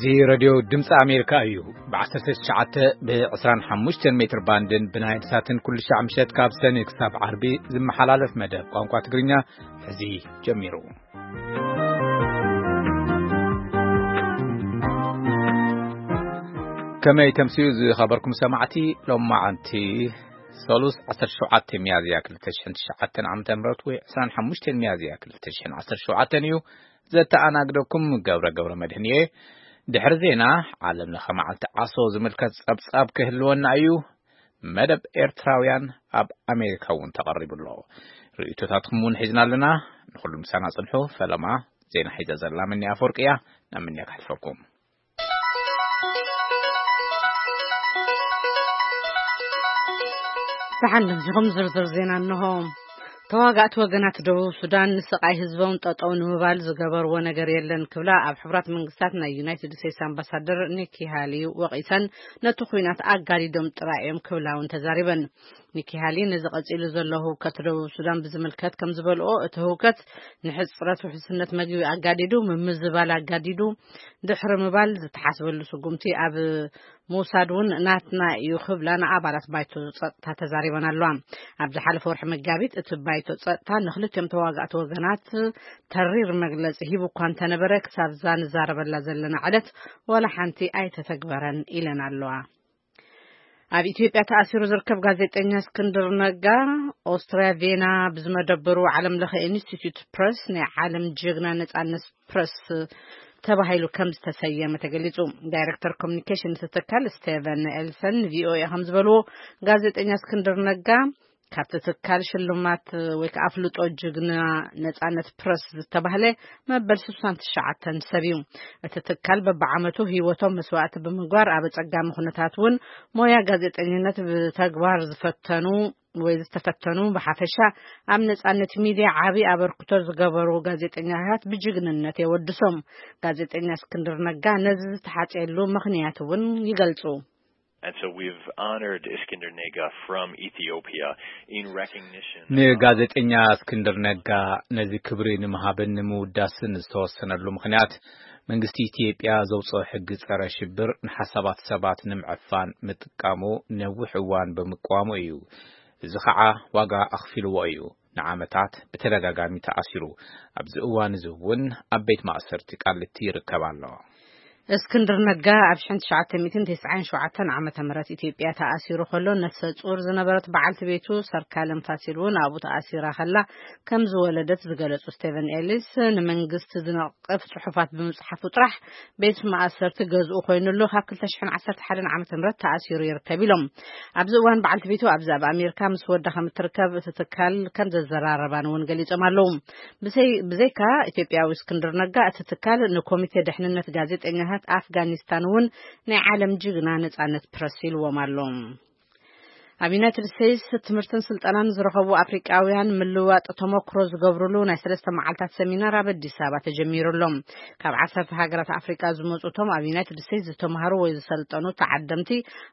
እዚ ሬድዮ ድምፂ ኣሜሪካ እዩ። ብ19፣ ብ25 ሜትር ባንድን ብናይል ሳትን ኩሉ ሻዕ ምሸት ካብ ሰኒ ክሳብ ዓርቢ ዝመሓላለፍ መደብ ቋንቋ ትግርኛ ሕዚ ጀሚሩ። ከመይ ተምስዩ ዝኸበርኩም ሰማዕቲ፣ ሎማዓንቲ ሰሉስ 17 ሚያዝያ 2009 ዓ.ም ወይ 25 ሚያዝያ 2017 እዩ። ዘተኣናግደኩም ገብረ ገብረ መድህን እየ። ድሕሪ ዜና ዓለም ለኸ መዓልቲ ዓሶ ዝምልከት ጸብጻብ ክህልወና እዩ። መደብ ኤርትራውያን ኣብ ኣሜሪካ እውን ተቐሪቡ ኣሎ። ርእይቶታትኩም እውን ሒዝና ኣለና። ንኹሉ ምሳና ጽንሑ። ፈለማ ዜና ሒዘ ዘላ ምንያ ኣፈወርቂ እያ። ናብ ምንያ ክሕልፈኩም። ደሓን መዚኹም ዝርዝር ዜና እንሆ። ተዋጋእቲ ወገናት ደቡብ ሱዳን ንስቓይ ህዝቦም ጠጠው ንምባል ዝገበርዎ ነገር የለን ክብላ ኣብ ሕቡራት መንግስታት ናይ ዩናይትድ ስቴትስ ኣምባሳደር ኒኪ ሃሊ ወቒሰን፣ ነቲ ኲናት ኣጋዲዶም ጥራይ እዮም ክብላ እውን ተዛሪበን። ኒኪ ሃሊ ነዚ ቀጺሉ ዘሎ ህውከት ደቡብ ሱዳን ብዝምልከት ከም ዝበልኦ፣ እቲ ህውከት ንሕጽረት ውሕስነት መግቢ ኣጋዲዱ፣ ምምዝባል ኣጋዲዱ፣ ድሕሪ ምባል ዝተሓስበሉ ስጉምቲ ኣብ ምውሳድ እውን ናትና እዩ ክብላ ንኣባላት ባይቶ ጸጥታ ተዛሪበን ኣለዋ። ኣብ ዝሓለፈ ወርሒ መጋቢት እቲ ባይቶ ጸጥታ ንክልቲኦም ተዋጋእቲ ወገናት ተሪር መግለጺ ሂቡ እኳ እንተነበረ፣ ክሳብ እዛ ንዛረበላ ዘለና ዕለት ዋላ ሓንቲ ኣይተተግበረን ኢለን ኣለዋ። ኣብ ኢትዮጵያ ተኣሲሩ ዝርከብ ጋዜጠኛ እስክንድር ነጋ፣ ኦስትርያ ቬና ብዝመደበሩ ዓለም ለኸ ኢንስቲትዩት ፕረስ ናይ ዓለም ጅግና ነጻነት ፕረስ ተባሂሉ ከም ዝተሰየመ ተገሊጹ። ዳይሬክተር ኮሚኒኬሽን እቲ ትካል ስቴቨን ኤልሰን ንቪኦኤ ከም ዝበልዎ፣ ጋዜጠኛ እስክንድር ነጋ ካብቲ ትካል ሽልማት ወይ ከዓ ኣፍልጦ ጅግና ነጻነት ፕረስ ዝተባህለ መበል 69 ሰብ እዩ። እቲ ትካል በብዓመቱ ህይወቶም መስዋዕቲ ብምግባር ኣብ ኣጸጋሚ ኩነታት እውን ሞያ ጋዜጠኝነት ብተግባር ዝፈተኑ ወይ ዝተፈተኑ ብሓፈሻ ኣብ ነጻነት ሚድያ ዓቢ ኣበርክቶ ዝገበሩ ጋዜጠኛታት ብጅግንነት የወድሶም። ጋዜጠኛ እስክንድር ነጋ ነዚ ዝተሓጽየሉ ምኽንያት እውን ይገልጹ። And so we've honored Iskender Nega from Ethiopia in recognition of ንጋዜጠኛ እስክንድር ነጋ ነዚ ክብሪ ንምሃብን ንምውዳስን ዝተወሰነሉ ምኽንያት፣ መንግስቲ ኢትዮጵያ ዘውፅኦ ሕጊ ጸረ ሽብር ንሓሳባት ሰባት ንምዕፋን ምጥቃሙ ነዊሕ እዋን ብምቅዋሙ እዩ። እዚ ኸዓ ዋጋ ኣኽፊልዎ እዩ። ንዓመታት ብተደጋጋሚ ተኣሲሩ። ኣብዚ እዋን እዚ እውን ኣብ ቤት ማእሰርቲ ቃሊቲ ይርከብ ኣሎ። እስክንድር ነጋ ኣብ 1997 ዓመተ ምህረት ኢትዮጵያ ተኣሲሩ ከሎ፣ ነፍሰ ጹር ዝነበረት በዓልቲ ቤቱ ሰርካለም ፋሲል እውን ኣብኡ ተኣሲራ ከላ ከም ዝወለደት ዝገለጹ ስቴቨን ኤሊስ፣ ንመንግስቲ ዝነቕፍ ጽሑፋት ብምጽሓፉ ጥራሕ ቤት ማእሰርቲ ገዝኡ ኮይኑሉ ካብ 2011 ዓመተ ምህረት ተኣሲሩ ይርከብ ኢሎም። ኣብዚ እዋን በዓልቲ ቤቱ ኣብዚ ኣብ ኣሜሪካ ምስ ወዳ ከም እትርከብ እቲ ትካል ከም ዘዘራረባን እውን ገሊጾም ኣለዉ። ብዘይ-፣ ብዘይካ ኢትዮጵያዊ እስክንድር ነጋ፣ እቲ ትካል ንኮሚቴ ድሕንነት ጋዜጠኛታት ኣፍጋኒስታን እውን ናይ ዓለም ጅግና ነጻነት ፕረስ ኢልዎም ኣሎ። ኣብ ዩናይትድ ስቴትስ ትምህርትን ስልጠናን ዝረኸቡ ኣፍሪቃውያን ምልዋጥ ተመክሮ ዝገብሩሉ ናይ ሰለስተ መዓልታት ሰሚናር ኣብ ኣዲስ ኣበባ ተጀሚሩ ኣሎ። ካብ ዓሰርተ ሃገራት ኣፍሪቃ ዝመጹ እቶም ኣብ ዩናይትድ ስቴትስ ዝተምሃሩ ወይ ዝሰልጠኑ ተዓደምቲ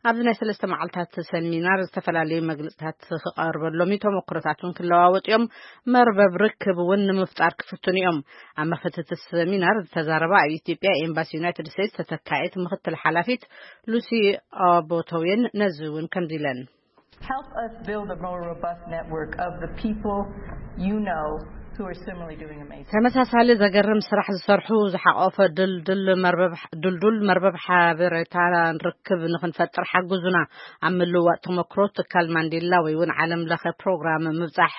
ኣብዚ ናይ ሰለስተ መዓልታት ሰሚናር ዝተፈላለዩ መግለጽታት ክቐርበሎም እዩ። ተመክሮታት እውን ክለዋወጡ እዮም። መርበብ ርክብ እውን ንምፍጣር ክፍትኑ እዮም። ኣብ መኽፈቲ እቲ ሰሚናር ዝተዛረባ ኣብ ኢትዮጵያ ኤምባሲ ዩናይትድ ስቴትስ ተተካኢት ምኽትል ሓላፊት ሉሲ ኣቦቶዌን ነዚ እውን ከምዚ ኢለን። Help us build a more robust network of the people you know who are similarly doing amazing. ተመሳሳሊ ዘገርም ስራሕ ዝሰርሑ ዝሓቆፈ ድልድል መርበብ፣ ድልዱል መርበብ ሓበሬታ ርክብ ንኽንፈጥር ሓግዙና። ኣብ ምልዋጥ ተመክሮ ትካል ማንዴላ ወይ እውን ዓለም ለኸ ፕሮግራም ምብጻሕ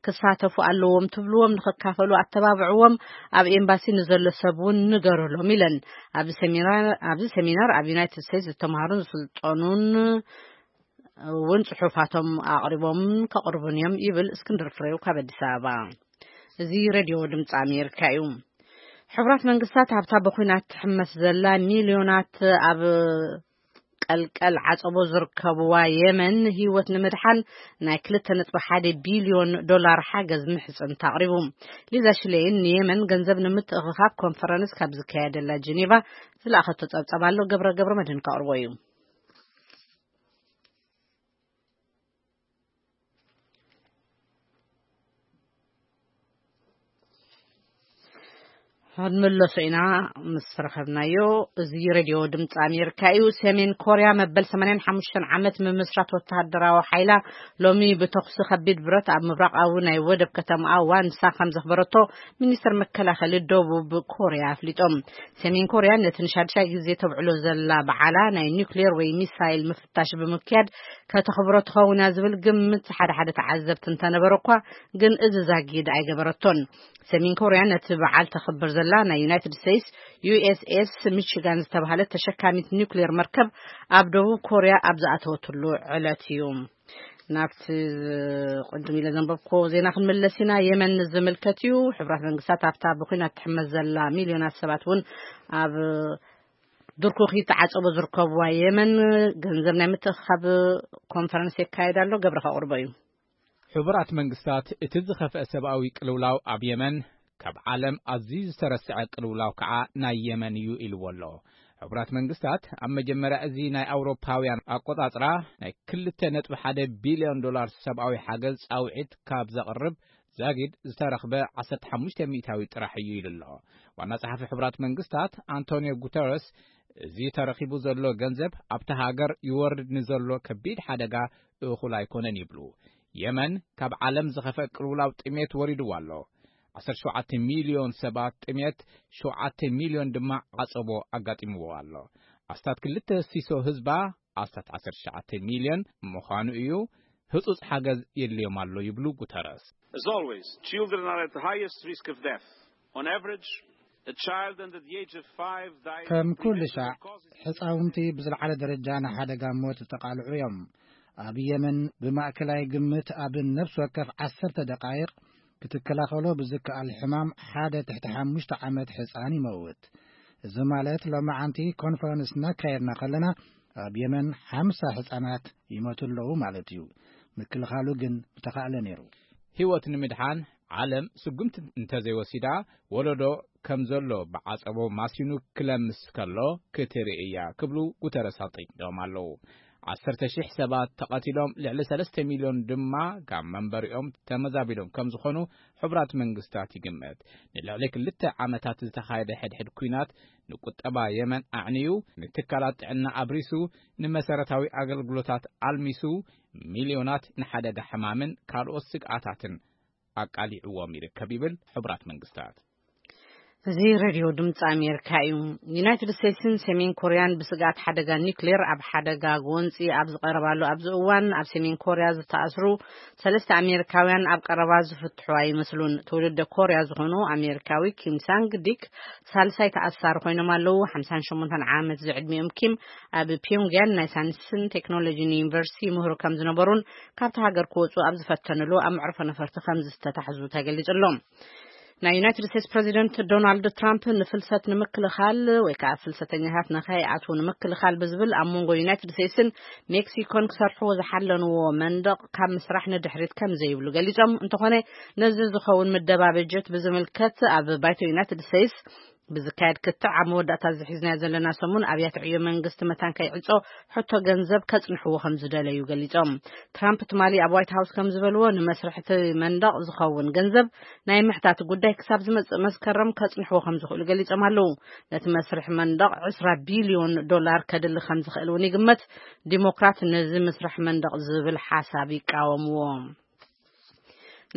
ክሳተፉ ኣለዎም ትብልዎም ንኽካፈሉ ኣተባብዕዎም። ኣብ ኤምባሲ ንዘሎ ሰብ እውን ንገሩሎም ኢለን። ኣብዚ ሰሚናር፣ ኣብዚ ሰሚናር ኣብ ዩናይትድ ስቴትስ ዝተምሃሩን ዝስልጠኑን እውን ጽሑፋቶም ኣቕሪቦም ከቕርቡን እዮም ይብል እስክንድር ፍሬው ካብ ኣዲስ ኣበባ። እዚ ሬድዮ ድምፂ ኣሜሪካ እዩ። ሕቡራት መንግስታት ኣብታ ብኲናት ትሕመስ ዘላ ሚልዮናት ኣብ ቀልቀል ዓጸቦ ዝርከብዋ የመን ህይወት ንምድሓን ናይ 2.1 ቢልዮን ዶላር ሓገዝ ምሕጽንታ ኣቕሪቡ። ሊዛ ሽሌይን ንየመን ገንዘብ ንምትእኽኻብ ኮንፈረንስ ካብ ዝካየደላ ጀኔቫ ዝለኣኸቶ ጸብጸብ ኣሎ። ገብረ ገብረ መድህን ከቕርቦ እዩ። ክንምለሶ ኢና ምስ ረኸብናዮ። እዚ ሬድዮ ድምፂ ኣሜሪካ እዩ። ሰሜን ኮርያ መበል ሰማንያን ሓሙሽተን ዓመት ምምስራት ወተሃደራዊ ሓይላ ሎሚ ብተኹሲ ከቢድ ብረት ኣብ ምብራቓዊ ናይ ወደብ ከተማኣ ዋንሳ ከም ዘኽበረቶ ሚኒስትር መከላኸሊ ደቡብ ኮርያ ኣፍሊጦም። ሰሜን ኮርያ ነቲ ንሻድሻይ ግዜ ተብዕሎ ዘላ በዓላ ናይ ኒውክሌር ወይ ሚሳይል ምፍታሽ ብምክያድ ከተኽብሮ ትኸውን እያ ዝብል ግምት ሓደ ሓደ ተዓዘብቲ እንተነበረ እኳ፣ ግን እዚ ዛጊድ ኣይገበረቶን። ሰሜን ኮርያ ነቲ በዓል ተኽብር ዘላ ናይ ዩናይትድ ስቴትስ ዩ ኤስ ኤስ ሚቺጋን ዝተባህለት ተሸካሚት ኒውክሌር መርከብ ኣብ ደቡብ ኮርያ ኣብ ዝኣተወትሉ ዕለት እዩ። ናብቲ ቅድም ኢለ ዘንበብኮ ዜና ክንምለስ ኢና። የመን ዝምልከት እዩ። ሕቡራት መንግስታት ኣብታ ብኲናት ትሕመስ ዘላ ሚልዮናት ሰባት እውን ኣብ ድርኩኺ ተዓጸቦ ዝርከብዋ የመን ገንዘብ ናይ ምትእኻብ ኮንፈረንስ የካየድ ኣሎ። ገብረ ከቕርቦ እዩ። ሕቡራት መንግስታት እቲ ዝኸፍአ ሰብኣዊ ቅልውላው ኣብ የመን ካብ ዓለም ኣዝዩ ዝተረስዐ ቅልውላው ከዓ ናይ የመን እዩ ኢልዎ ኣሎ። ሕቡራት መንግስታት ኣብ መጀመርያ እዚ ናይ ኣውሮፓውያን ኣቆጻጽራ ናይ ክልተ ነጥቢ ሓደ ቢልዮን ዶላር ሰብኣዊ ሓገዝ ጻውዒት ካብ ዘቕርብ ዛጊድ ዝተረኽበ ዓሰርተ ሓሙሽተ ሚእታዊ ጥራሕ እዩ ኢሉ ኣሎ። ዋና ጸሓፊ ሕቡራት መንግስታት ኣንቶኒዮ ጉተረስ፣ እዚ ተረኺቡ ዘሎ ገንዘብ ኣብታ ሃገር ይወርድ ንዘሎ ከቢድ ሓደጋ እኹል ኣይኮነን ይብሉ። የመን ካብ ዓለም ዝኸፍአ ቅልውላው ጥሜት ወሪድዋ ኣሎ። ዓሰርተ ሸውዓተ ሚልዮን ሰባት ጥሜት፣ ሸውዓተ ሚልዮን ድማ ዓጸቦ ኣጋጢምዎ ኣሎ። ኣስታት ክልተ ሲሶ ህዝባ፣ ኣስታት ዓሰርተ ትሽዓተ ሚልዮን ምዃኑ እዩ፣ ህጹጽ ሓገዝ የድልዮም ኣሎ ይብሉ ጉተረስ። As always, children are at the highest risk of death. On average, a child under the age of five dies ከም ኩሉ prematurely ሻዕ፣ causes ሕፃውንቲ ብዝለዓለ ደረጃ ንሓደጋ ሞት ዝተቓልዑ እዮም። ኣብ የመን ብማእከላይ ግምት ኣብ ነፍሲ ወከፍ ዓሰርተ ደቓይቕ ክትከላኸሎ ብዝከኣል ሕማም ሓደ ትሕቲ ሓሙሽተ ዓመት ሕፃን ይመውት። እዚ ማለት ሎማዓንቲ ኮንፈረንስ እናካየድና ከለና ኣብ የመን ሓምሳ ሕፃናት ይሞቱ ኣለዉ ማለት እዩ። ምክልኻሉ ግን ምተኻእለ ነይሩ። ህይወት ንምድሓን ዓለም ስጉምቲ እንተዘይወሲዳ፣ ወለዶ ከም ዘሎ ብዓጸቦ ማሲኑ ክለምስ ከሎ ክትርኢ እያ ክብሉ ጉተረስ ኣጠንቂቖም ኣለዉ። ዓሰርተ ሺሕ ሰባት ተቐቲሎም፣ ልዕሊ ሰለስተ ሚልዮን ድማ ካብ መንበሪኦም ተመዛቢሎም ከም ዝኾኑ ሕቡራት መንግስታት ይግመት። ንልዕሊ ክልተ ዓመታት ዝተኻየደ ሕድሕድ ኲናት ንቁጠባ የመን ኣዕንዩ፣ ንትካላት ጥዕና ኣብሪሱ፣ ንመሰረታዊ ኣገልግሎታት ኣልሚሱ፣ ሚልዮናት ንሓደጋ ሕማምን ካልኦት ስግኣታትን ኣቃሊዕዎም ይርከብ ይብል ሕቡራት መንግስታት። እዚ ሬድዮ ድምፂ ኣሜሪካ እዩ። ዩናይትድ ስቴትስን ሰሜን ኮርያን ብስግኣት ሓደጋ ኒውክሌር ኣብ ሓደጋ ጎንፂ ኣብ ዝቐረባሉ ኣብዚ እዋን፣ ኣብ ሰሜን ኮርያ ዝተኣስሩ ሰለስተ ኣሜሪካውያን ኣብ ቀረባ ዝፍትሑ ኣይመስሉን። ትውልደ ኮርያ ዝኾኑ ኣሜሪካዊ ኪም ሳንግ ዲክ ሳልሳይ ተኣሳሪ ኮይኖም ኣለዉ። ሓምሳን ሸሞንተን ዓመት ዝዕድሚኦም ኪም ኣብ ፒዮንግያን ናይ ሳይንስን ቴክኖሎጂን ዩኒቨርሲቲ ይምህሩ ከም ዝነበሩን ካብቲ ሃገር ክወፁ ኣብ ዝፈተንሉ ኣብ መዕርፎ ነፈርቲ ከም ዝተታሕዙ ተገሊጹ ኣሎ። ናይ ዩናይትድ ስቴትስ ፕሬዚደንት ዶናልድ ትራምፕ ንፍልሰት ንምክልኻል ወይ ከዓ ፍልሰተኛታት ንኸይኣትዉ ንምክልኻል ብዝብል ኣብ መንጎ ዩናይትድ ስቴትስን ሜክሲኮን ክሰርሕዎ ዝሓለንዎ መንደቕ ካብ ምስራሕ ንድሕሪት ከም ዘይብሉ ገሊጾም። እንተኾነ ነዚ ዝኸውን ምደባ በጀት ብዝምልከት ኣብ ባይቶ ዩናይትድ ስቴትስ ብዝካየድ ክትዕ ኣብ መወዳእታ ዝሒዝናዮ ዘለና ሰሙን ኣብያተ ዕዮ መንግስቲ መታን ከይዕጾ ሕቶ ገንዘብ ከጽንሕዎ ከም ዝደለዩ ገሊጾም። ትራምፕ ትማሊ ኣብ ዋይት ሃውስ ከም ዝበልዎ፣ ንመስርሕ እቲ መንደቕ ዝኸውን ገንዘብ ናይ ምሕታት ጉዳይ ክሳብ ዝመጽእ መስከረም ከጽንሕዎ ከም ዝኽእሉ ገሊጾም ኣለዉ። ነቲ መስርሕ መንደቕ ዕስራ ቢልዮን ዶላር ከድሊ ከም ዝኽእል እውን ይግመት። ዲሞክራት ነዚ ምስራሕ መንደቕ ዝብል ሓሳብ ይቃወምዎ።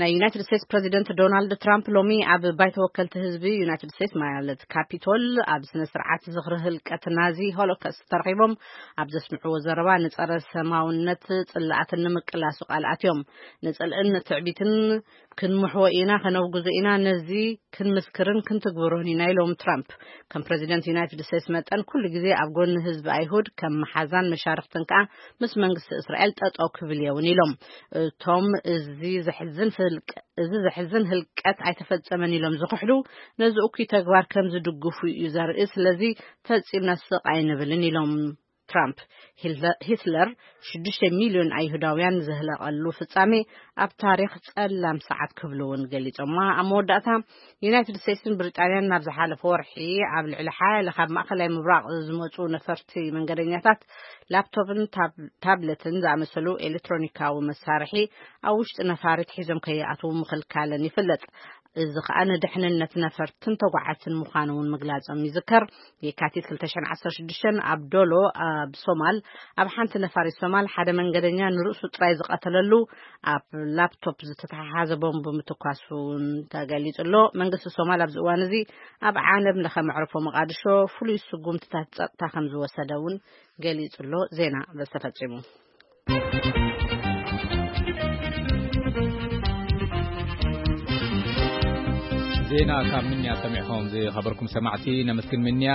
ናይ ዩናይትድ ስቴትስ ፕሬዚደንት ዶናልድ ትራምፕ ሎሚ ኣብ ባይቶ ወከልቲ ህዝቢ ዩናይትድ ስቴትስ ማለት ካፒቶል ኣብ ስነ ስርዓት ዝኽሪ ህልቀት ናዚ ሆሎኮስት ተረኺቦም ኣብ ዘስምዕዎ ዘረባ፣ ንጸረ ሰማውነት ጽላኣትን ንምቅላሱ ቃል ኣትዮም። ንጽልእን ትዕቢትን ክንምሕዎ ኢና፣ ከነውግዞ ኢና፣ ነዚ ክንምስክርን ክንትግብሮን ኢና ኢሎም ትራምፕ። ከም ፕሬዚደንት ዩናይትድ ስቴትስ መጠን ኩሉ ግዜ ኣብ ጎኒ ህዝቢ ኣይሁድ ከም መሓዛን መሻርክትን ከዓ ምስ መንግስቲ እስራኤል ጠጠው ክብል እየ እውን ኢሎም። እቶም እዚ ዘሕዝን ፍልቀ-፣ እዚ ዘሕዝን ህልቀት ኣይተፈጸመን ኢሎም ዝኽሕዱ፣ ነዚ እኩይ ተግባር ከም ዝድግፉ እዩ ዘርኢ። ስለዚ ፈጺምና ስቕ ኣይንብልን ኢሎም ትራምፕ። ሂትለ-፣ ሂትለር ሽዱሽተ ሚልዮን ኣይሁዳውያን ዘህለቐሉ ፍጻሜ ኣብ ታሪኽ ጸላም ሰዓት ክብሉ እውን ገሊጾማ። ኣብ መወዳእታ ዩናይትድ ስቴትስን ብሪጣንያን ናብ ዝሓለፈ ወርሒ ኣብ ልዕሊ ሓያለ ካብ ማእከላይ ምብራቕ ዝመጹ ነፈርቲ መንገደኛታት ላፕቶፕን ታብ-፣ ታብለትን ዝኣመሰሉ ኤሌክትሮኒካዊ መሳርሒ ኣብ ውሽጢ ነፋሪት ሒዞም ከይኣትዉ ምኽልካለን ይፍለጥ። እዚ ከኣ ንድሕንነት ነፈርትን ተጓዓዝትን ምዃኑ እውን ምግላጾም ይዝከር። የካቲት ክልተ ሽሕን ዓሰርተ ሽዱሽተን ኣብ ዶሎ ኣብ ሶማል፣ ኣብ ሓንቲ ነፋሪት ሶማል ሓደ መንገደኛ ንርእሱ ጥራይ ዝቐተለሉ ኣብ ላፕቶፕ ዝተተሓሓዘ ቦምብ ምትኳሱ እውን ተገሊጹ ኣሎ። መንግስቲ ሶማል ኣብዚ እዋን እዚ ኣብ ዓለም ለኸ መዕርፎ መቓድሾ ፍሉይ ስጉምትታት ጸጥታ ከም ዝወሰደ እውን ገሊጹ ኣሎ። ዜና በዚ ተፈጺሙ። ዜና ካብ ምንያ ሰሚዕኹም ዝኸበርኩም ሰማዕቲ ነመስግን። ምንያ፣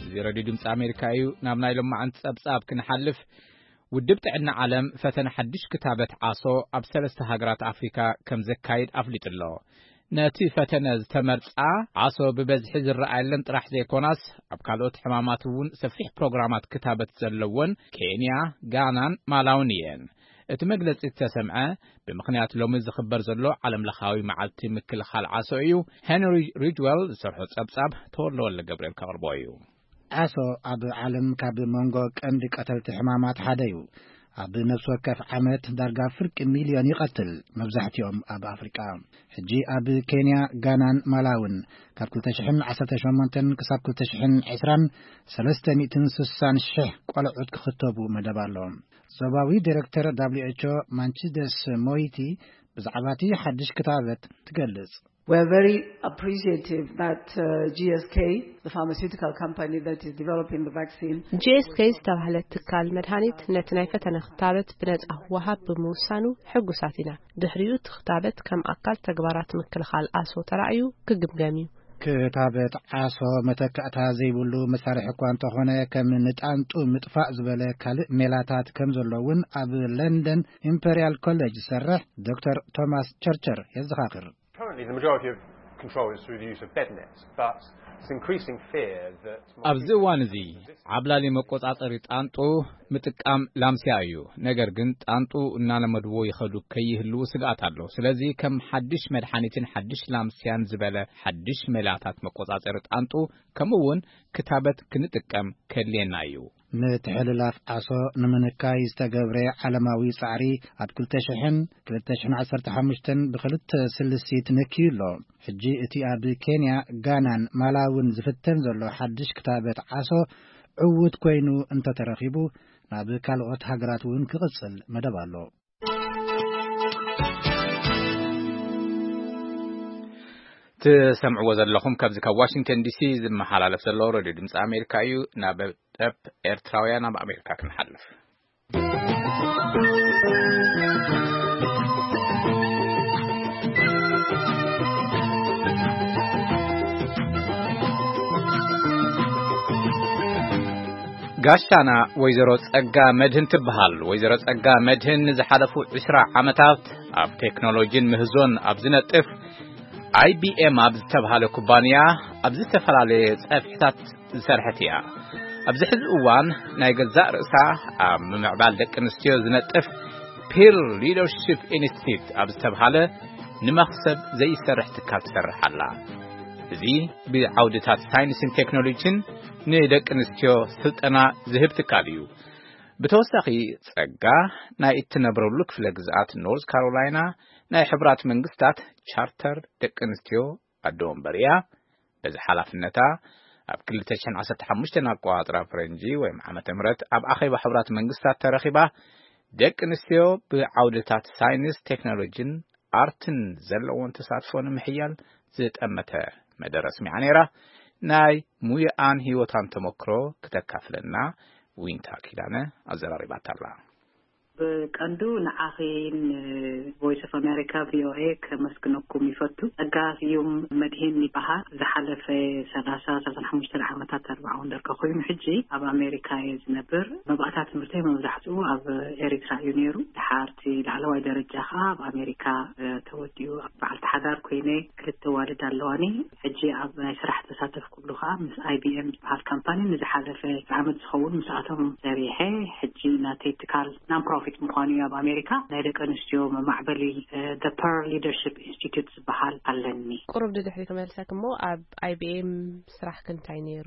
እዚ ሬድዮ ድምፂ ኣሜሪካ እዩ። ናብ ናይ ሎማዓንቲ ጸብጻብ ክንሓልፍ፣ ውድብ ጥዕና ዓለም ፈተነ ሓድሽ ክታበት ዓሶ ኣብ ሰለስተ ሃገራት ኣፍሪካ ከም ዘካይድ ኣፍሊጡ ኣሎ። ነቲ ፈተነ ዝተመርጻ ዓሶ ብበዝሒ ዝረኣየለን ጥራሕ ዘይኮናስ፣ ኣብ ካልኦት ሕማማት እውን ሰፊሕ ፕሮግራማት ክታበት ዘለወን ኬንያ፣ ጋናን ማላውን እየን። እቲ መግለጺ ዝተሰምዐ ብምኽንያት ሎሚ ዝኽበር ዘሎ ዓለምለኻዊ መዓልቲ ምክልኻል ዓሶ እዩ። ሄንሪ ሪጅዌል ዝሰርሖ ጸብጻብ ተወልደ ወልደ ገብርኤል ከቕርቦ እዩ። ዓሶ ኣብ ዓለም ካብ መንጎ ቀንዲ ቀተልቲ ሕማማት ሓደ እዩ። ኣብ ነፍሲ ወከፍ ዓመት ዳርጋ ፍርቂ ሚልዮን ይቐትል፣ መብዛሕትኦም ኣብ ኣፍሪቃ። ሕጂ ኣብ ኬንያ፣ ጋናን ማላውን ካብ ክልተ ሽሕን ዓሰርተ ሸሞንተን ክሳብ ክልተ ሽሕን ዕስራን ሰለስተ ሚእትን ስሳን ሽሕ ቆልዑት ክኽተቡ መደብ ኣሎ። ዞባዊ ዲሬክተር ደብሊው ኤች ኦ ማንቺደስ ሞይቲ ብዛዕባ እቲ ሓድሽ ክታበት ትገልጽ። We're very appreciative that uh, G S K, the pharmaceutical company that is developing the vaccine, ጂ ኤስ ኬ ዝተባህለ ትካል መድሃኒት ነቲ ናይ ፈተነ ክታበት ብነጻ ክወሃብ ብምውሳኑ ሕጉሳት ኢና። ድሕሪኡ እቲ ክታበት ከም ኣካል ተግባራት ምክልኻል ዓሶ ተራእዩ ክግምገም እዩ። ክታበት ዓሶ መተካእታ ዘይብሉ መሳርሒ እኳ እንተኾነ፣ ከም ንጣንጡ ምጥፋእ ዝበለ ካልእ ሜላታት ከም ዘሎ እውን ኣብ ለንደን ኢምፐርያል ኮሌጅ ዝሰርሕ ዶክተር ቶማስ ቸርቸር የዘኻኽር። Currently, the majority of control is through the use of bed nets, but it's increasing fear that ኣብዚ እዋን እዚ ዓብላሊ መቆጻጸሪ ጣንጡ ምጥቃም ላምስያ እዩ። ነገር ግን ጣንጡ እናለመድዎ ይኸዱ ከይህልዉ ስግኣት ኣሎ። ስለዚ ከም ሓድሽ መድሓኒትን ሓድሽ ላምስያን ዝበለ ሓድሽ ሜላታት መቆጻጸሪ ጣንጡ፣ ከምኡ እውን ክታበት ክንጥቀም ከድልየና እዩ። ምትሕልላፍ ዓሶ ንምንካይ ዝተገብረ ዓለማዊ ጻዕሪ ኣብ ክልተ ሽሕን ክልተ ሽሕን ዓሰርተ ሓሙሽተን ብኽልተ ስልሲት ነክዩ ኣሎ። ሕጂ እቲ ኣብ ኬንያ፣ ጋናን ማላውን ዝፍተን ዘሎ ሓድሽ ክታበት ዓሶ ዕዉት ኮይኑ እንተተረኺቡ፣ ናብ ካልኦት ሃገራት እውን ክቕጽል መደብ ኣሎ። ትሰምዕዎ ዘለኹም ካብዚ ካብ ዋሽንግተን ዲሲ ዝመሓላለፍ ዘሎ ሬድዮ ድምፂ ኣሜሪካ እዩ። ናብ ጠብ ኤርትራውያን ኣብ ኣሜሪካ ክንሓልፍ። ጋሻና ወይዘሮ ጸጋ መድህን ትበሃል። ወይዘሮ ጸጋ መድህን ንዝሓለፉ ዕስራ ዓመታት ኣብ ቴክኖሎጂን ምህዞን ኣብ ዝነጥፍ ኣይ ቢ ኤም ኣብ ዝተብሃለ ኩባንያ ኣብ ዝተፈላለየ ጸፍሕታት ዝሰርሐት እያ። ኣብዚ ሕዚ እዋን ናይ ገዛእ ርእሳ ኣብ ምምዕባል ደቂ ኣንስትዮ ዝነጥፍ ፒር ሊደርሺፕ ኢንስቲትዩት ኣብ ዝተብሃለ ንመኽሰብ ዘይሰርሕ ትካል ትሰርሕ ኣላ። እዚ ብዓውድታት ሳይንስን ቴክኖሎጂን ንደቂ ኣንስትዮ ስልጠና ዝህብ ትካል እዩ። ብተወሳኺ ጸጋ ናይ እትነብረሉ ክፍለ ግዝኣት ኖርዝ ካሮላይና ናይ ሕቡራት መንግስታት ቻርተር ደቂ ኣንስትዮ ኣደ ወንበር እያ። በዚ ሓላፍነታ ኣብ ክልተ ሽሕን ዓሰርተ ሓሙሽተን ኣቆጻጽራ ፈረንጂ ወይም ዓመተ ምህረት ኣብ ኣኼባ ሕቡራት መንግስታት ተረኺባ፣ ደቂ ኣንስትዮ ብዓውድታት ሳይንስ፣ ቴክኖሎጂን ኣርትን ዘለዎን ተሳትፎ ንምሕያል ዝጠመተ መደረ ኣስሚዓ ነይራ። ናይ ሙያኣን ህይወታን ተመክሮ ክተካፍለና ዊንታ ኪዳነ ኣዘራሪባታ ኣላ። ብቀንዱ ንዓኺን ቮይስ ኦፍ ኣሜሪካ፣ ቪ ኦ ኤ፣ ከመስግነኩም ይፈቱ። ጸጋ ስዩም መድሂን ይበሃል። ዝሓለፈ ሰላሳ፣ ሰላሳን ሓሙሽተን ዓመታት ኣርባዓ ወንደርካ ኮይኑ፣ ሕጂ ኣብ ኣሜሪካ እየ ዝነብር። መባእታ ትምህርተይ መብዛሕትኡ ኣብ ኤሪትራ እዩ ነይሩ። ድሓር እቲ ላዕለዋይ ደረጃ ኸኣ ኣብ ኣሜሪካ፣ እ፣ ተወዲኡ። በዓልቲ ሓዳር ኮይነ ክልተ ኣዋልድ ኣለዋኒ። ሕጂ ኣብ ናይ ስራሕ ተሳተፍኩሉ ኸኣ ምስ ኣይ ቢ ኤም ዝበሃል ካምፓኒ ንዝሓለፈ ዓመት ዝኸውን ምስኣቶም ሰሪሐ። ሕጂ ናተይ ትካል ናን ፕሮፊት ቤት ምዃኑ እዩ ኣብ ኣሜሪካ። ናይ ደቂ ኣንስትዮ መማዕበሊ፣ እ፣ The Pearl Leadership Institute ዝበሃል ኣለኒ። ቁሩብ ድድሕሪ ክመልሰክ እሞ፣ ኣብ I B M ስራሕክ እንታይ ነይሩ?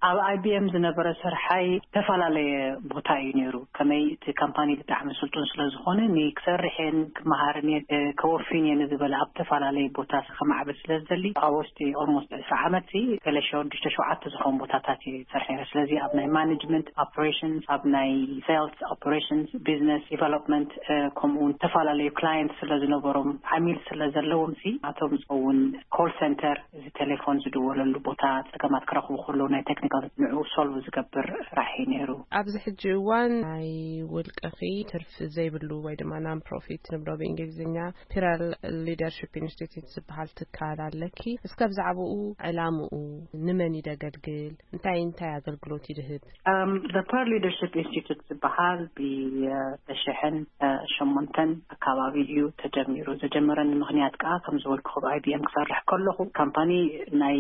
ኣብ I B M ዝነበረ ስርሓይ ዝተፈላለየ ቦታ እዩ ነይሩ። ከመይ እቲ ካምፓኒ ብጣዕሚ ስልጡን ስለ ዝኾነ፣ ንክሰርሕ እየን፣ ክመሃርን እየን፣ እ፣ ከወፊን እየን ዝበለ ኣብ ዝተፈላለየ ቦታ ከማዕብል ስለ ዝደሊ፣ ኣብ ውሽጢ almost ዕስራ ዓመት ሲ ገለ ሸዱሽተ ሸውዓተ ዝኾኑ ቦታታት እየ ዝሰርሕ ነይረ። ስለዚ ኣብ ናይ ማኔጅመንት ኦፕሬሽንስ፣ ኣብ ናይ ሴልስ ኦፕሬሽንስ፣ ቢዝነስ ዲቨሎፕመንት፣ እ፣ ከምኡ እውን ዝተፈላለዩ ክላየንት ስለ ዝነበሮም፣ ዓሚል ስለ ዘለዎም ሲ፣ ናቶም ዝኸውን ኮል ሴንተር፣ እዚ ቴሌፎን ዝድወለሉ ቦታ፣ ጸገማት ክረኽቡ ከለዉ ናይ ቴክኒካል ንዕኡ ሶልቭ ዝገብር ስራሕ እዩ ነይሩ። ኣብዚ ሕጂ እዋን ናይ ውልቅኺ ትርፊ ዘይብሉ ወይ ድማ ናን ፕሮፊት ንብሎ ብእንግሊዝኛ ፒራል ሊደርሺፕ ኢንስቲትዩት ዝበሃል ትካል ኣለኪ። እስከ ብዛዕባኡ፣ ዕላምኡ፣ ንመን እዩ ደገልግል፣ እንታይ እንታይ ኣገልግሎት ይድህብ? Um, The Pearl Leadership Institute ዝበሃል ብተሽሕን ሸሞንተን ኣካባቢ እዩ ተጀሚሩ። ዘጀመረኒ ምኽንያት ከዓ ከም ዝበልኩ ኣብ I B M ክሰርሕ ከለኹ ካምፓኒ ናይ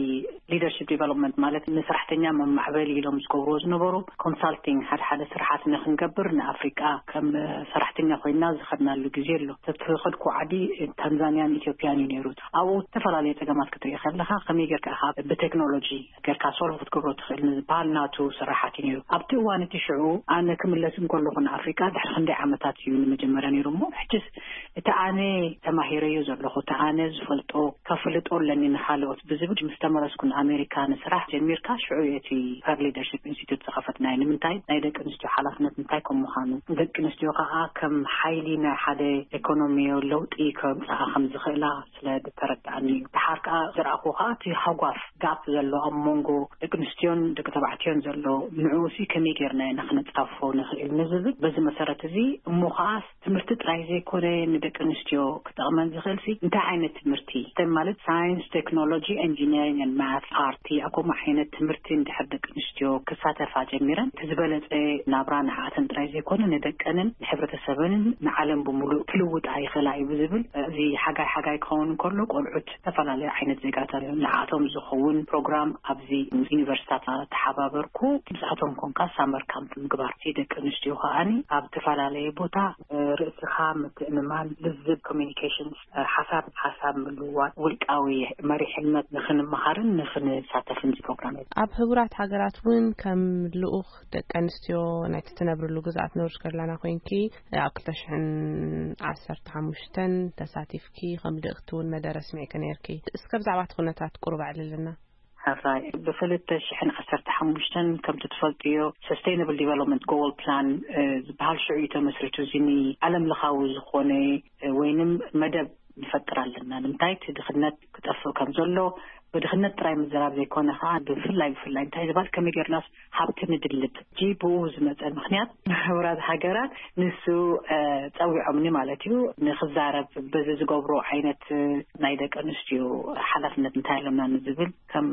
ሊደርሺፕ ዲቨሎፕመንት ማለት ንሰራሕተኛ መማዕበሊ ኢሎም ዝገብርዎ ዝነበሩ ኮንሳልቲንግ ሓደ ሓደ ስራሓት ንክንገብር ንኣፍሪቃ ከም ሰራሕተኛ ኮይና ዝኸድናሉ ግዜ ኣሎ። ተትኸድኩ ዓዲ ታንዛንያን ኢትዮጵያን እዩ ነይሩ። ኣብኡ ዝተፈላለዩ ጸገማት ክትርኢ ከለኻ ከመይ ጌርካ ኢኻ ብቴክኖሎጂ ጌርካ ሶልቭ ክትገብሮ ትኽእል ንዝበሃል ናቱ ስራሓት እዩ ነይሩ። ኣብቲ እዋን እቲ ሽዑ ኣነ ክምለስ እንከለኹ ንኣፍሪቃ ድሕሪ ክንደይ ዓመታት እዩ ንመጀመርያ ነይሩ እሞ፣ ሕጅስ እቲ ኣነ ተማሂረዮ ዘለኹ፣ እቲ ኣነ ዝፈልጦ ከፍልጦ ኣለኒ ንኻልኦት ብዝብል ምስ ተመለስኩ ንኣሜሪካ ንስራሕ ጀሚርካ ሽዑ እዩ እቲ ፐር ሊደርሺፕ ኢንስቲትዩት ዝኸፈትናዮ። ንምንታይ? ናይ ደቂ ኣንስትዮ ሓላፍነት እንታይ ከም ምዃኑ፣ ደቂ ኣንስትዮ ከዓ ከም ሓይሊ ናይ ሓደ ኢኮኖሚዮ ለውጢ ከምፅኣ ከም ዝኽእላ ስለ ዝተረድኣኒ እዩ። ደሓር ከኣ ዝረኣኹ ከኣ እቲ ሃጓፍ ጋፕ ዘሎ ኣብ መንጎ ደቂ ኣንስትዮን ደቂ ተባዕትዮን ዘሎ ንዕኡ ሲ ከመይ ጌርና ኢና ክነጻፍፎ ንኽእል ንዝብል በዚ መሰረት እዚ እሞ ከኣ ትምህርቲ ጥራይ ዘይኮነ ንደቂ ኣንስትዮ ክጠቕመን ዝኽእል ሲ እንታይ ዓይነት ትምህርቲ ማለት ሳይንስ፣ ቴክኖሎጂ፣ ኢንጂነሪንግ ን ማት፣ ኣርቲ ኣብ ከምኡ ዓይነት ትምህርቲ እንድሕር ደቂ ኣንስትዮ ክሳተፋ ጀሚረን እቲ ዝበለጸ ናብራ ንዓኣተን ጥራይ ዘይኮነ ንደቀንን ንሕብረተሰበንን ንዓለም ብምሉእ ክልውጣ ይኽእላ እዩ ብዝብል እዚ ሓጋይ ሓጋይ ክኸውን እንከሎ ቆልዑት ዝተፈላለዩ ዓይነት ዜጋታት እዮም። ንዓቶም ዝኸውን ፕሮግራም ኣብዚ ምስ ዩኒቨርሲታት ተሓባበርኩ። ምስኣቶም ኮንካ ሳመር ካምፕ ምግባር። እቲ ደቂ ኣንስትዮ ከኣኒ ኣብ ዝተፈላለየ ቦታ ርእስኻ ምትእምማን፣ ልዝብ፣ ኮሚኒኬሽንስ፣ ሓሳብ ሓሳብ ምልውዋጥ፣ ውልቃዊ መሪሕነት ንኽንመሃርን ንኽንሳተፍን ፕሮግራም እዩ። ኣብ ህቡራት ሃገራት እውን ከም ልኡኽ ደቂ ኣንስትዮ ናይቲ ትነብርሉ ግዝኣት ኖርዝ ካሮላይና ኮይንኪ ኣብ ክልተ ሽሕን ዓሰርተ ሓሙሽተን ተሳቲፍኪ ከም ልእኽቲ እውን መደረ ኣስሚዕኪ ነይርኪ። እስከ ብዛዕባ እቲ ኩነታት ቁሩብ ኣዕልልና። ሕራይ ብክልተ ሽሕን ዓሰርተ ሓሙሽተን ከምቲ ትፈልጥዮ ሰስቴይናብል ዲቨሎፕመንት ጎል ፕላን ዝበሃል ሽዑ እዩ ተመስሪቱ። እዚ ንዓለም ለኻዊ ዝኾነ ወይንም መደብ ንፈጥር ኣለና። ንምንታይ እቲ ድኽነት ክጠፍእ ከም ዘሎ ብድኽነት ጥራይ ምዝራብ ዘይኮነ ከዓ ብፍላይ ብፍላይ እንታይ ዝበሃል ከመይ ጌርናስ ሃብቲ ንድልብ ሕጂ ብኡ ዝመፀ ምኽንያት ማሕበራት ሃገራት ንሱ ፀዊዖምኒ ማለት እዩ ንክዛረብ በዚ ዝገብሮ ዓይነት ናይ ደቂ ኣንስትዮ ሓላፍነት እንታይ ኣለና ንዝብል ከም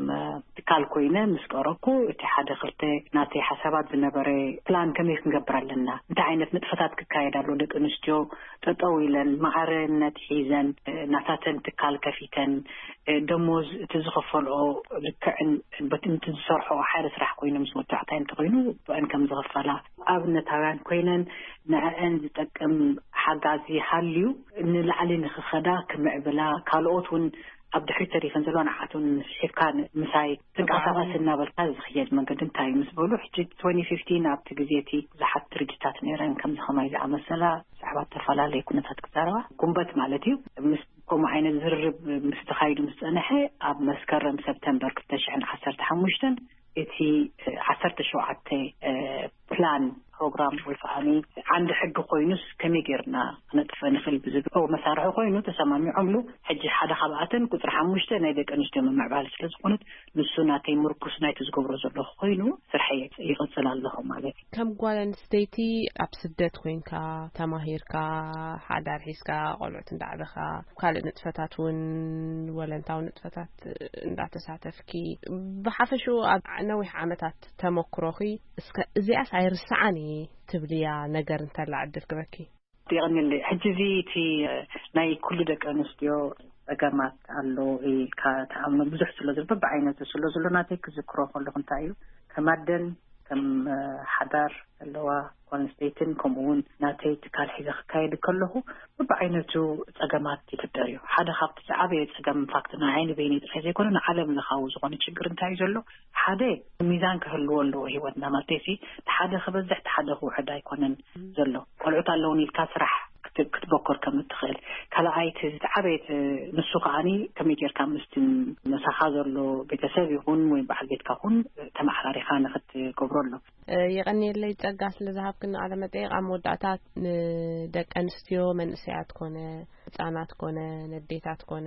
ትካል ኮይነ ምስ ቀረብኩ እቲ ሓደ ክልተ ናተይ ሓሳባት ዝነበረ ፕላን ከመይ ክንገብር ኣለና እንታይ ዓይነት ንጥፈታት ክካየድ ኣሎ ደቂ ኣንስትዮ ጠጠው ኢለን ማዕረነት ሒዘን ናታተን ትካል ከፊተን ደሞዝ እቲ ዝኸፈልኦ ልክዕን በቲ ዝሰርሖ ሓደ ስራሕ ኮይኑ ምስ ወዳዕታይ እንተኮይኑ ብአን ከም ዝኸፈላ ኣብነታውያን ኮይነን ንዕአን ዝጠቅም ሓጋዚ ሃልዩ ንላዕሊ ንክኸዳ ክምዕብላ ካልኦት እውን ኣብ ድሕሪት ተሪፈን ዘለዋ ንዓቶም ስሒብካ ምሳይ ትንቀሳቐስ እናበልካ ዝኽየድ መንገዲ እንታይ እዩ ምስ በሉ ሕጂ ትወንቲ ፊፍቲን ኣብቲ ግዜ እቲ ብዙሓት ድርጅታት ነይረን ከምዚ ከማይ ዝኣመሰላ ብዛዕባ ዝተፈላለዩ ኩነታት ክዛረባ ጉንበት ማለት እዩ ምስ ከምኡ ዓይነት ዝርርብ ምስ ተኻይዱ ምስ ፀንሐ ኣብ መስከረም ሰብተምበር ክልተ ሽሕን ዓሰርተ ሓሙሽተን እቲ ዓሰርተ ሸውዓተ ፕላን ፕሮግራም ወይ ከዓ ዓንዲ ሕጊ ኮይኑስ ከመይ ጌርና ክነጥፈ ንኽእል ብዝብል መሳርሒ ኮይኑ ተሰማሚዖምሉ። ሕጂ ሓደ ካብኣተን ቁፅሪ ሓሙሽተ ናይ ደቂ ኣንስትዮ ምምዕባል ስለ ዝኾነት ንሱ ናተይ ምርኩስ ናይቲ ዝገብሮ ዘለኹ ኮይኑ ስርሐይ ይቕፅል ኣለኹ ማለት እዩ። ከም ጓል ኣንስተይቲ ኣብ ስደት ኮይንካ ተማሂርካ ሓዳር ሒዝካ ቆልዑት እንዳዕበኻ ካልእ ንጥፈታት እውን ወለንታዊ ንጥፈታት እንዳተሳተፍኪ ብሓፈሽኡ ኣብ ነዊሕ ዓመታት ተመክሮኺ እስከ እዚኣስ ኣይርስዓን እየ ትብልያ ነገር እንተላ ዕድል ክበኪ? የቐንየለይ። ሕጂ እዚ እቲ ናይ ኩሉ ደቂ ኣንስትዮ ጸገማት ኣሎ ኢልካ ትኣምኖ ብዙሕ ስለ ዘሎ ብዓይነቱ ስለ ዘሎ ናተይ ክዝክሮ ከለኹ እንታይ እዩ ከም ኣደን ከም ሓዳር ኣለዋ፣ ኳንስተይትን ከምኡ እውን ናተይ ትካል ሒዘ ክካየድ ከለኹ ብብዓይነቱ ጸገማት ይፍጠር እዩ። ሓደ ካብቲ ዝዓበየ ጸገም፣ ኢንፋክት ንዓይ ንበይነይ ጥራይ ዘይኮነ ንዓለም ለኻዊ ዝኾነ ችግር እንታይ እዩ ዘሎ? ሓደ፣ ሚዛን ክህልዎ ኣለዎ ህይወትና። ማለተይሲ ሓደ ክበዝሕ ሓደ ክውሕድ ኣይኮነን ዘሎ። ቆልዑት ኣለውን ኢልካ ስራሕ ክትበኮር ከም እትኽእል። ካልኣይቲ ዝዓበየት ንሱ ከዓኒ ከመይ ጌርካ ምስቲ ምሳኻ ዘሎ ቤተሰብ ይኹን ወይ በዓል ቤትካ ኹን ተመሓራሪኻ ንኽትገብሮ ኣሎ። የቐንየለይ ጸጋ ስለ ዝሃብክኒ ቃለ መጠይቕ። ኣብ መወዳእታ ንደቂ ኣንስትዮ መንእሰያት ኮነ ህጻናት ኮነ ነዴታት ኮነ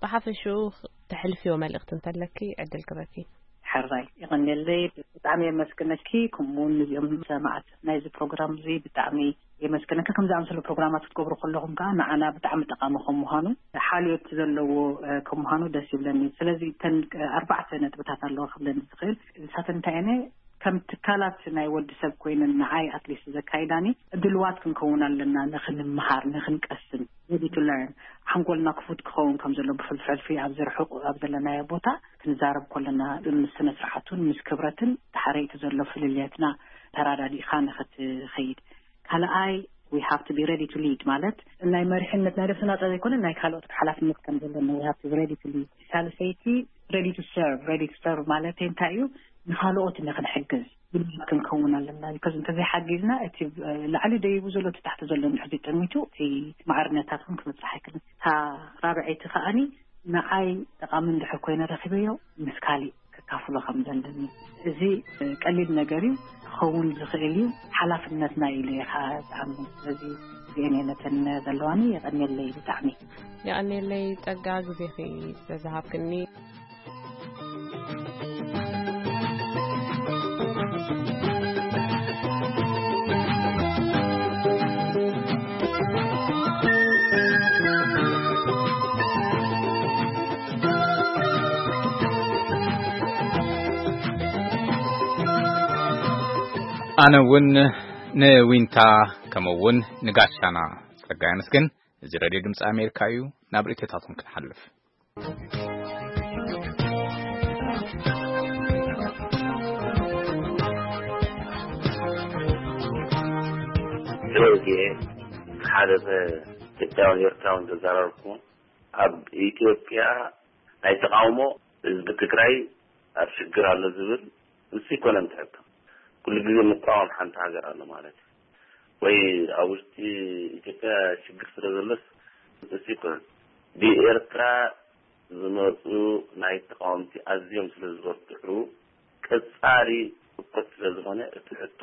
ብሓፈሽኡ ተሕልፍዮ መልእኽቲ እንተለኪ ዕድል ክበኪ። ሕራይ የቐንየለይ። ብጣዕሚ የመስግነኪ። ከምኡ እውን ንዚኦም ሰማዕት ናይዚ ፕሮግራም እዚ ብጣዕሚ የመስግነኪ። ከምዚ ኣምሰሉ ፕሮግራማት ክትገብሩ ከለኹም ከዓ ንዓና ብጣዕሚ ጠቓሚ ከም ምዃኑ፣ ሓልዮት ዘለዎ ከም ምዃኑ ደስ ይብለኒ። ስለዚ እተን ኣርባዕተ ነጥብታት ኣለዋ ክብለኒ ዝኽእል። ንሳተን እንታይ እየን? ከም ትካላት ናይ ወዲ ሰብ ኮይነን ንዓይ ኣትሊስት ዘካይዳኒ ድልዋት ክንከውን ኣለና፣ ንኽንምሃር ንኽንቀስም፣ ready to learn። ሓንጎልና ክፉት ክኸውን ከም ዘሎ፣ ብሕልፊ ኣብዚ ርሑቕ ኣብ ዘለናዮ ቦታ ክንዛረብ ከለና ምስ ስነ ስርዓቱን ምስ ክብረትን ድሓረይቲ ዘሎ ፍልልየትና ተራዳዲእካ ንኽትኸይድ። ካልኣይ፣ we have to be ready to lead ማለት ናይ መሪሕነት ናይ ነብስና ጥራይ ዘይኮነ ናይ ካልኦት ሓላፍነት ከም ዘለና we have to be ready to lead። ሳልሰይቲ፣ ready to serve። Ready to serve ማለት እንታይ እዩ? ንኻልኦት ንኽንሕግዝ ድሉዋት ክንከውን ኣለና። ቢካዝ እንተዘይሓጊዝና እቲ ላዕሊ ደይቡ ዘሎ እቲ ታሕቲ ዘሎ እንድሕር ጠሚቱ እቲ ማዕርነታት እውን ክበፅሕ ኣይክልን። እታ ራብዐይቲ ከዓኒ ንዓይ ጠቓሚ እንድሕር ኮይነ ረኺበዮ ምስ ካሊእ ከካፍሎ ከም ዘለኒ። እዚ ቀሊል ነገር እዩ፣ ክኸውን ዝኽእል እዩ። ሓላፍነትና ኢሉ እየ ከዓ ዝኣምን። ስለዚ እዚአን እየ ነተን ዘለዋኒ። የቐንየለይ ብጣዕሚ። የቐንየለይ ጸጋ፣ ግዜኺ ስለ ዝሃብክኒ። ኣነ እውን ንዊንታ ከምኡ እውን ንጋሻና ጸጋ የመስግን። እዚ ሬድዮ ድምፂ ኣሜሪካ እዩ። ናብ ርእይቶታቶም ክንሓልፍ። ስለዚ ሓደ ኢትዮጵያውን ኤርትራውን ተዛረብኩ። ኣብ ኢትዮጵያ ናይ ተቃውሞ ህዝቢ ትግራይ ኣብ ሽግር ኣሎ ዝብል ንሱ ይኮነን ትሕቶ። ኩሉ ግዜ ምቃወም ሓንቲ ሃገር ኣሎ ማለት እዩ። ወይ ኣብ ውሽጢ ኢትዮጵያ ሽግር ስለ ዘሎስ ንሱ ይኮነን። ብኤርትራ ዝመፁ ናይ ተቃወምቲ ኣዝዮም ስለ ዝበርትዑ ቀጻሊ እኮት ስለ ዝኾነ እቲ ሕቶ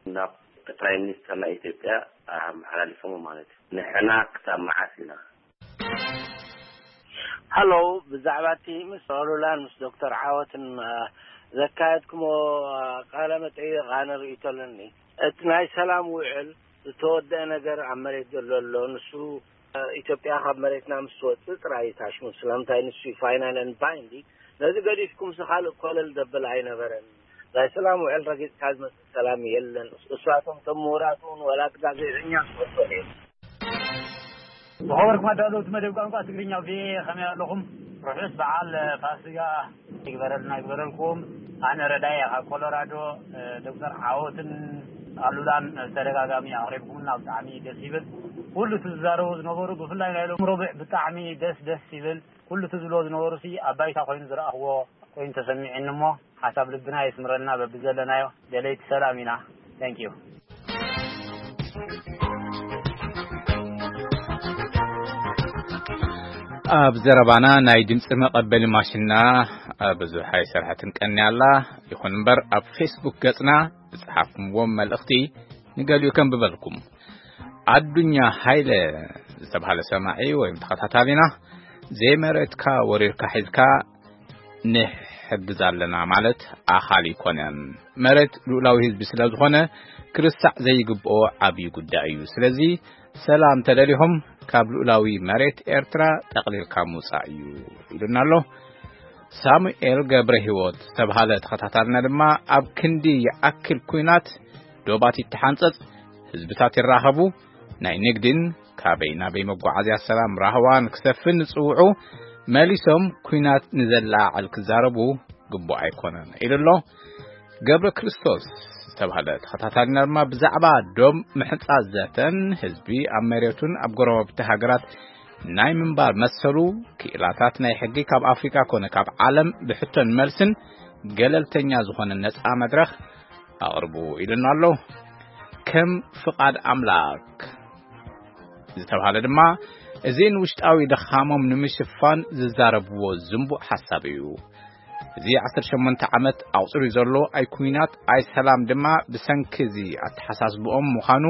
ናብ ጠቅላይ ሚኒስተር ናይ ኢትዮጵያ ኣመሓላሊፎም ማለት እዩ። ንሕና ክሳብ መዓስ ኢና? ሃሎ፣ ብዛዕባ እቲ ምስ ኣሉላን ምስ ዶክተር ዓወትን፣ አ፣ ዘካየድኩሞ፣ አ፣ ቃለ መጠይቕ ኣነ ርእይቶ ኣለኒ። እቲ ናይ ሰላም ውዕል ዝተወደአ ነገር ኣብ መሬት ዘሎ ኣሎ። ንሱ፣ አ፣ ኢትዮጵያ ካብ መሬትና ምስ ትወጽእ ጥራይ እዩ ታሽሙ። ስለምንታይ ንሱ እዩ ፋይናል ኤንድ ባይንዲንግ። ነዚ ገዲፍኩምሲ ካልእ ኮለል ዘብል ኣይነበረን። ናይ ሰላም ውዕል ረጊጽካ ዝመጽእ ሰላም የለን። እሳቶም እቶም ምሁራት እውን ዋላ እቲ ጋዜጠኛ ዝፈልጦ ነይሩ። ዝኸበርኩም ኣዳለውቲ መደብ ቋንቋ ትግርኛ ቪኦኤ፣ ከመይ ኣለኹም? ርሑስ በዓል ፋሲጋ ይግበረልና፣ ይግበረልኩም። ኣነ ረዳየ ካብ ኮሎራዶ። ዶክተር ዓወትን ኣሉላን ብተደጋጋሚ ኣቕሪብኩምና፣ ብጣዕሚ ደስ ይብል። ኩሉ እቲ ዝዛረቡ ዝነበሩ፣ ብፍላይ ናይ ሎም ረቡዕ ብጣዕሚ ደስ ደስ ይብል። ኩሉ እቲ ዝብሎ ዝነበሩ ሲ ኣብ ባይታ ኮይኑ ዝረኣኽዎ ኮይኑ ተሰሚዑኒ እሞ፣ ሓሳብ ልብና የስምረልና በብዘለናዮ። ደለይቲ ሰላም ኢና። Thank you። ኣብ ዘረባና ናይ ድምፂ መቐበሊ ማሽንና ብዙሕ ኣይሰርሐትን ቀንያ ኣላ። ይኹን እምበር ኣብ ፌስቡክ ገፅና ዝፀሓፍኩምዎም መልእኽቲ ንገሊኡ ከንብበልኩም። ኣዱኛ ሃይለ ዝተባህለ ሰማዒ ወይም ተኸታታሊና፣ "ዘይመሬትካ ወሪርካ ሒዝካ ንሕግዝ ኣለና ማለት ኣኻሊ ኣይኮነን። መሬት ልኡላዊ ህዝቢ ስለ ዝኾነ ክርስዕ ዘይግብኦ ዓብዪ ጉዳይ እዩ። ስለዚ ሰላም ተደሊኹም ካብ ልኡላዊ መሬት ኤርትራ ጠቕሊልካ ምውጻእ እዩ" ኢሉና ኣሎ። ሳሙኤል ገብረ ህይወት ዝተባህለ ተኸታታልና ድማ፣ "ኣብ ክንዲ ይኣክል ኲናት ዶባት ይተሓንጸጽ፣ ህዝብታት ይራኸቡ፣ ናይ ንግድን ካበይ ናበይ መጓዓዝያ ሰላም ራህዋን ክሰፍን ዝጽውዑ፣ መሊሶም ኲናት ንዘለዓዕል ክዛረቡ ግቡእ ኣይኮነን" ኢሉ ኣሎ። ገብረ ክርስቶስ ዝተባህለ ተኸታታልና ድማ ብዛዕባ ዶብ ምሕጻጽ ዘተን ህዝቢ ኣብ መሬቱን ኣብ ጎረባብቲ ሃገራት ናይ ምንባር መሰሉ፣ ክኢላታት ናይ ሕጊ ካብ ኣፍሪቃ ኮነ ካብ ዓለም ብሕቶን መልስን ገለልተኛ ዝኾነ ነጻ መድረኽ ኣቕርቡ ኢሉና ኣሎ። ከም ፍቓድ ኣምላክ ዝተባህለ ድማ፣ እዚ ንውሽጣዊ ድኻሞም ንምሽፋን ዝዛረብዎ ዝንቡዕ ሓሳብ እዩ። እዚ ዓሰርተ ሸሞንተ ዓመት ኣቑጺሩ ዘሎ ኣይ ኩናት ኣይ ሰላም ድማ ብሰንኪ እዚ ኣተሓሳስብኦም ምዃኑ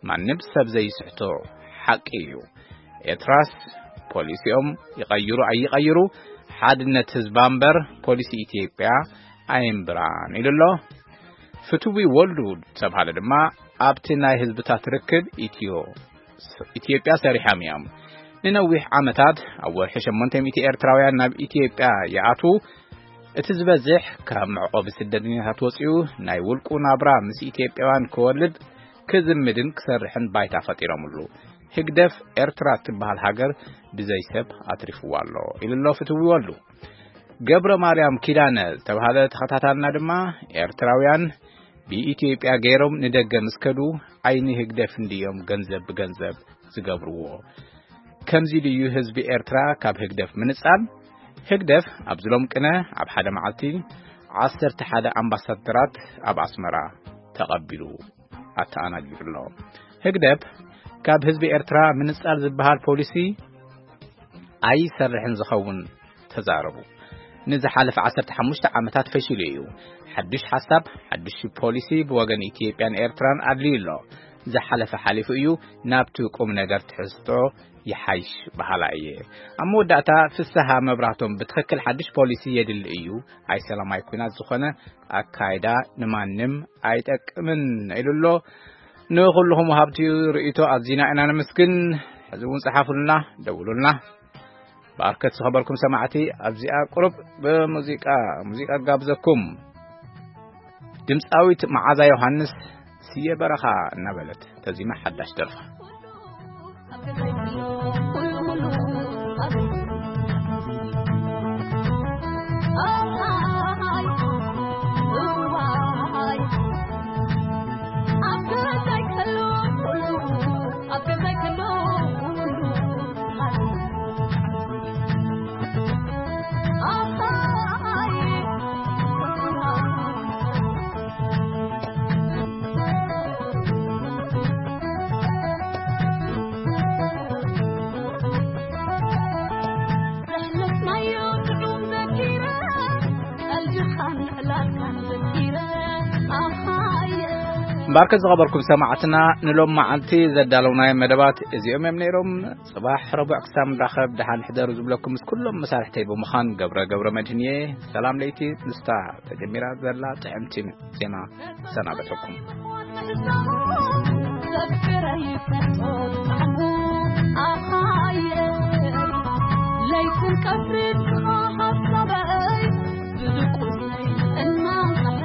ማንም ሰብ ዘይስሕቶ ሓቂ እዩ። ኤርትራስ ፖሊሲኦም ይቐይሩ ኣይቐይሩ፣ ሓድነት ህዝባ እምበር ፖሊሲ ኢትዮጵያ ኣየንብራን ኢሉ ኣሎ። ፍትዊ ወልዱ ዝተብሃለ ድማ ኣብቲ ናይ ህዝብታት ርክብ ኢትዮ፣ ኢትዮጵያ ሰሪሖም እዮም። ንነዊሕ ዓመታት ኣብ ወርሒ ሸሞንተ ሚእቲ ኤርትራውያን ናብ ኢትዮጵያ ይኣትዉ። እቲ ዝበዝሕ ካብ መዕቆቢ ስደተኛታት ወጺኡ ናይ ውልቁ ናብራ ምስ ኢትዮጵያውያን ክወልድ፣ ክዝምድን ክሰርሕን ባይታ ፈጢሮምሉ። ህግደፍ ኤርትራ እትበሃል ሃገር ብዘይ ሰብ ኣትሪፍዋ ኣሎ ኢሉ ኣሎ ፍትዊ ወልዱ። ገብረ ማርያም ኪዳነ ዝተባህለ ተኸታታልና ድማ ኤርትራውያን ብኢትዮጵያ ገይሮም ንደገ ምስ ከዱ ዓይኒ ህግደፍ እንድዮም ገንዘብ ብገንዘብ ዝገብርዎ። ከምዚ ድዩ ህዝቢ ኤርትራ ካብ ህግደፍ ምንጻል? ህግደፍ ኣብዚ ሎም ቅነ ኣብ ሓደ መዓልቲ ዓሰርተ ሓደ ኣምባሳደራት ኣብ ኣስመራ ተቐቢሉ ኣተኣናጊዱ ኣሎ። ህግደፍ ካብ ህዝቢ ኤርትራ ምንጻል ዝበሃል ፖሊሲ ኣይሰርሕን ዝኸውን ተዛረቡ። ንዝሓለፈ ዓሰርተ ሓሙሽተ ዓመታት ፈሺሉ እዩ። ሓድሽ ሓሳብ፣ ሓድሽ ፖሊሲ ብወገን ኢትዮጵያን ኤርትራን ኣድልዩ ኣሎ። ዝሓለፈ ሓሊፉ እዩ፣ ናብቲ ቁም ነገር ትሕዝቶ ይሓይሽ በሃላ እየ። ኣብ መወዳእታ ፍስሃ መብራህቶም ብትኽክል ሓድሽ ፖሊሲ የድሊ እዩ፣ ኣይ ሰላማይ ኩናት ዝኾነ ኣካይዳ ንማንም ኣይጠቅምን ኢሉ ኣሎ። ንኹልኹም ወሃብቲ ርእይቶ ኣዚና ኢና ነመስግን። ሕዚ እውን ጸሓፉልና፣ ደውሉልና። ብኣርከት ዝኸበርኩም ሰማዕቲ ኣብዚኣ ቁሩብ ብሙዚቃ፣ ሙዚቃ ጋብዘኩም። ድምፃዊት መዓዛ ዮሃንስ ስየ በረኻ እናበለት ተዚማ ሓዳሽ ደርፋ። እምበኣርከ ዝኸበርኩም ሰማዕትና፣ ንሎም መዓልቲ ዘዳለውናዮም መደባት እዚኦም እዮም ነይሮም። ጽባሕ ረቡዕ ክሳብ ንራኸብ ደሓን ሕደሩ ዝብለኩም ምስ ኩሎም መሳርሕተይ ብምዃን ገብረ ገብረ መድህን እየ። ሰላም ለይቲ ምስታ ተጀሚራ ዘላ ጥዕምቲ ዜማ ሰናበተኩም። ለይትን ቀትርን ሓሳበይ ብድቁስ እናንቀሐ